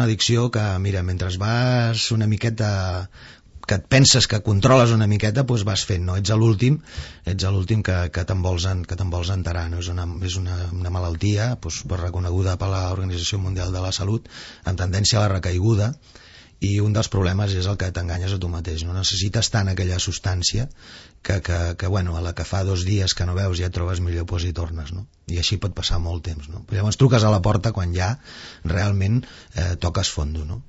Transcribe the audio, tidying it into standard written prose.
una addicció que, mira, mentre vas una miqueta, que et penses que controles una miqueta, doncs vas fent, no? Ets l'últim que te'n vols enterar, no? És una malaltia doncs, reconeguda per l'Organització Mundial de la Salut, amb tendència a la recaiguda, i un dels problemes és el que t'enganyes a tu mateix, no? Necessites tant aquella substància que bueno, a la que fa 2 dies que no veus ja et trobes millor, doncs hi tornes, no? I així pot passar molt temps, no? Però llavors truques a la porta quan ja realment toques fondo, no?